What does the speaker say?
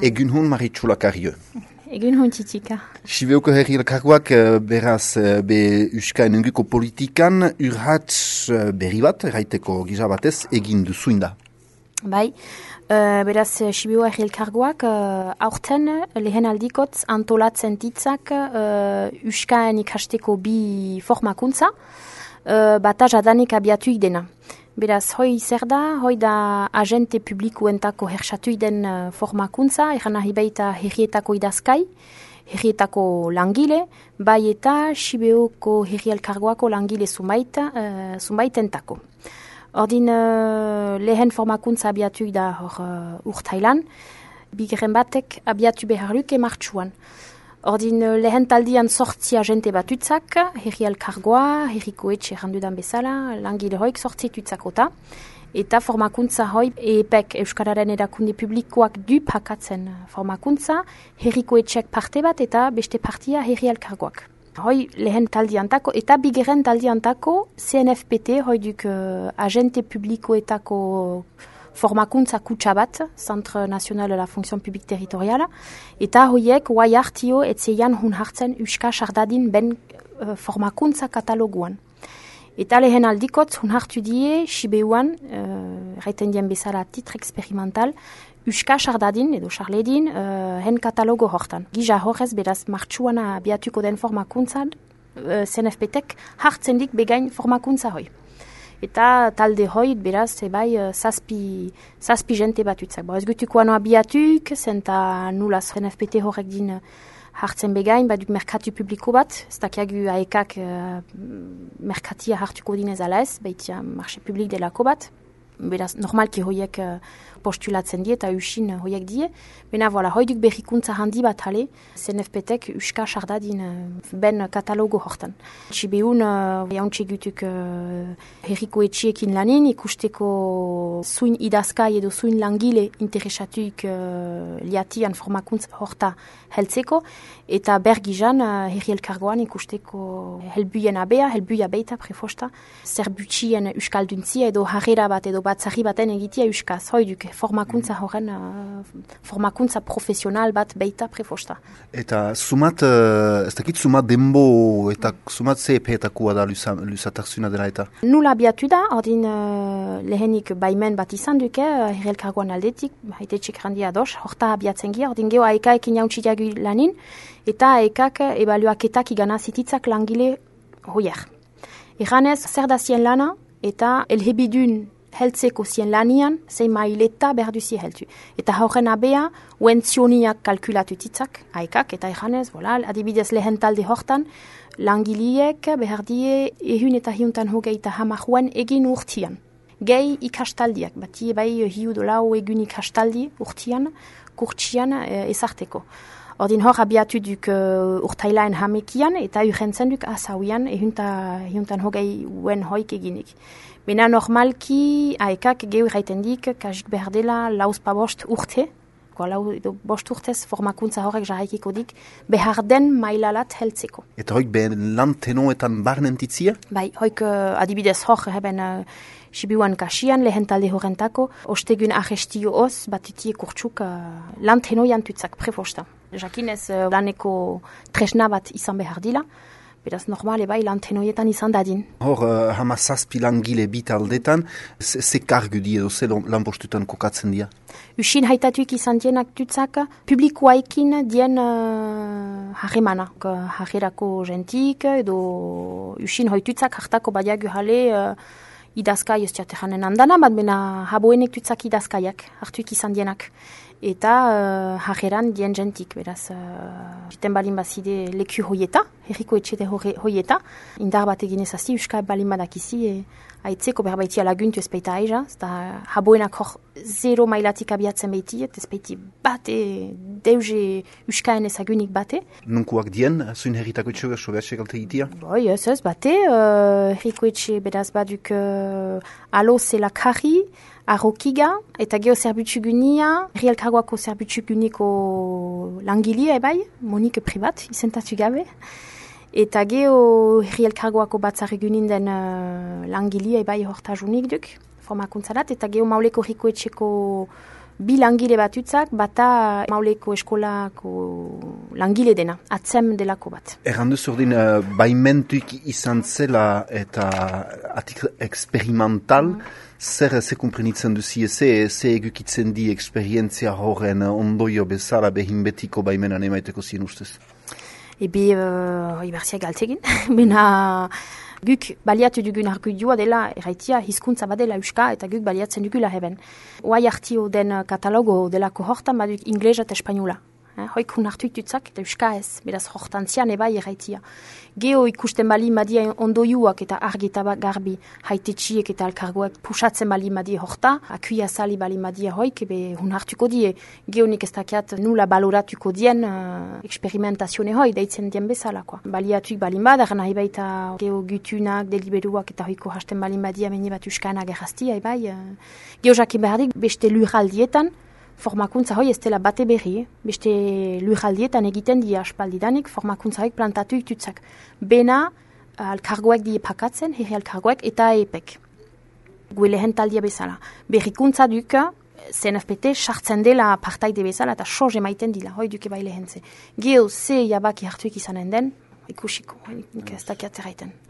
Egun hon Maritxula Karrio. Egun hon txitika. Sibeuko herri elkargoak beraz be Euskain enguko politikan urhatz berri bat, erraiteko gisa batez, egin duzuin da. Bai, beraz Sibeu herri elkargoak aurten lehen aldikotz antolatzen ditzak Euskain ikasteko bi formakuntza, bata jadanik abiatuik dena. Beraz, hoi zer da, hoi da agente publikuentako hersatuik den formakuntza, eran nahi baita herrietako idazkai, herrietako langile, bai eta Sibeuko herri elkargoako langile zunbaitentako. Ordin lehen formakuntza abiatuik da hor urtailan, bigeren batek abiatu beharluke martxuan. Ordin lehen taldian sortzi agente batutzak, herri elkargoa, herriko etxe errandudan bezala, langile hoik sortzitutzakota, eta formakuntza hoi EPEK Euskararen erakunde publikoak du pakatzen formakuntza, herriko etxek parte bat eta beste partia herri elkargoak. Hoi lehen taldiantako eta bigeren taldiantako CNFPT, hoi duk agente publikoetako formakuntza kutsa bat, Centre National de la Fonction Publique Territoriala, eta hoiek guai hartio etzeian hun hartzen Euska Sardadin ben formakuntza kataloguan. Eta lehen aldikotz hun hartu die Sibeuan, raiten dien bezala titre experimental, Euska Sardadin edo Charledin hen katalogo hortan. Gija horrez beraz martxuana abiatuko den formakuntzan, CNFPtek hartzen dik begain formakuntza hoi. Eta talde hoit beraz zazpi jente batutzak. Ez gutuko ano abiatuk, zenta nula CNFPT horrek din hartzen begain, baduk merkatu publiko bat, ez dakiagu aekak merkatia hartuko dinez ala ez, baitia marché publik delako bat. Beraz, normalki hoiek postulatzen die eta usin hoiek die. Bena, voilà, hoiduk berrikuntza handi bat hale, CNFPtek Euska Sardadin ben katalogo hortan. Sibeun, jauntxe gutuk herriko etxiekin lanin, ikusteko zuin idazkai edo zuin langile interesatuik liatian formakuntza horta heltzeko, eta bergizan herri elkargoan ikusteko helbuien abea, helbuia beita prefosta, zerbutxien euskalduntzia edo harrera bat edo batzarri baten egitea euskaz, hoiduk formakuntza horren, formakuntza profesional bat beita prefosta. Eta sumat, ez dakit sumat denbo eta sumat zeepeetakua da lusatarzuna dela eta? Nula abiatu da, ordin lehenik baimen bat izan duke, herri elkargoan aldetik, haite txekrandia dos, horta abiatzen gira, ordin geho aekaekin jauntxitiagu lanin, eta aekak ebaluaketak igana zititzak langile hoier. Eganez, zer da zien lana, eta elhebidun heltzeko zien lanian, zein maileta berduzi heltu. Eta horren abea, uentzioniak kalkulatu titzak, aekak, eta eganez, adibidez lehen talde hortan, langiliek behardie ehun eta hiuntan hogeita hamaruen egin urtian. Gehi ikastaldiak, bati bai hiu dolau egun ikastaldi urtian, kurtsian ezarteko. Ordin hor abiatu duk urtailaen hamekian eta urrentzen duk asauian ehuntan hogei uen hoik eginik. Bena normalki aekak gehu raiten dik, kasik behar dela lauzpa bost urte, bost urtez formakuntza horrek jarraikiko dik, behar den mailalat heltzeko. Eta hoik behen lan tenoetan barnentitzia? Bai, hoik adibidez hor heben Sibiuan kasian lehen talde horrentako, ostegun arrestio hoz, batitie kurtsuk lan tenoian tutzak prefosta. Jakinez laneko tresna bat izan behar dila, beraz normale bai lan tenoietan izan dadin. Hor, hamazazpi langile bitaldetan, ze kargu di edo, ze lanpostutan kokatzen dira? Usin haitatuik izan dienak tutzak, publikoaikin dien harremana. Harrerako jentik, edo usin hoitutzak hartako badiagu jale idazkai ez jaten andana, bat bena haboenek tutzak idazkaiak, hartuik izan dienak. Eta harreran dien jentik, beraz, jiten balin bazide leku hoieta, herriko etxete hoieta, indar bat egin ezazi, euskal balin badakizi, aitzeko berbaitia laguntu ez baita aiza, eta haboenak hor zero mailatik abiatzen baiti, ez baiti bate, deuze euskaen ezagunik bate. Nunkuak dien, zuin herritako etxe sobeatxe galte egitea? Boi, ez bate, herriko etxe beraz baduk alo zela karri, Arrokiga, eta geho zerbutxugunia, herri elkargoako zerbutxuguniko langilia ebai, Monique privat, izentatu gabe. Eta geho herri elkargoako batzarregunin den langilia ebai hortajunik duk, formakuntzarat, eta geho mauleko herriko etxeko bi langile batutzak, bata Mauleko eskolako langile dena, atzem delako bat. Errandu zordin, baimentuik izan zela eta atik experimental, zer komprenitzen duzi, ze egukitzen di eksperientzia horren ondoio bezala behin betiko baimenan emaiteko zien ustez? Ebe, iberziak galtzegin, bena guk baliatu dugun argudioa dela erraitia hizkuntza badela euska eta guk baliatzen dugula heben. Oai hartio den katalogo delako hortan baduk inglesa eta espainola. Hoik hun hartu itutzak eta euska ez, beraz hortan zian ebai erraitia. Geo ikusten bali madia ondoiuak eta argi eta garbi haitetxiek eta alkargoak pusatzen bali madia horta, akuia sali bali madia hoik, ebe hun hartuko die. Geo nik ez dakiat nula baloratuko dien eksperimentazione hoi, deitzen dien bezalakoa. Baliatuik balin badar, nahi baita geo gutunak, deliberuak eta hoiko hasten balin badia meni bat euskanak erraztia, ebai. Geo jakin behardik beste lurraldietan, formakuntza hoi ez dela bate berri, beste lurraldietan egiten di aspaldidanik, formakuntza hoik plantatu itutzak. Bena, alkargoek die pakatzen, herri alkargoek eta epek. Gue lehen taldia bezala. Berrikuntza duka, CNFPT sartzen dela partaide bezala eta soz emaiten dila, hoi duke bai lehentze. Geo, ze jabaki hartuik izanen den, ikusiko, nik ez dakiat erraiten.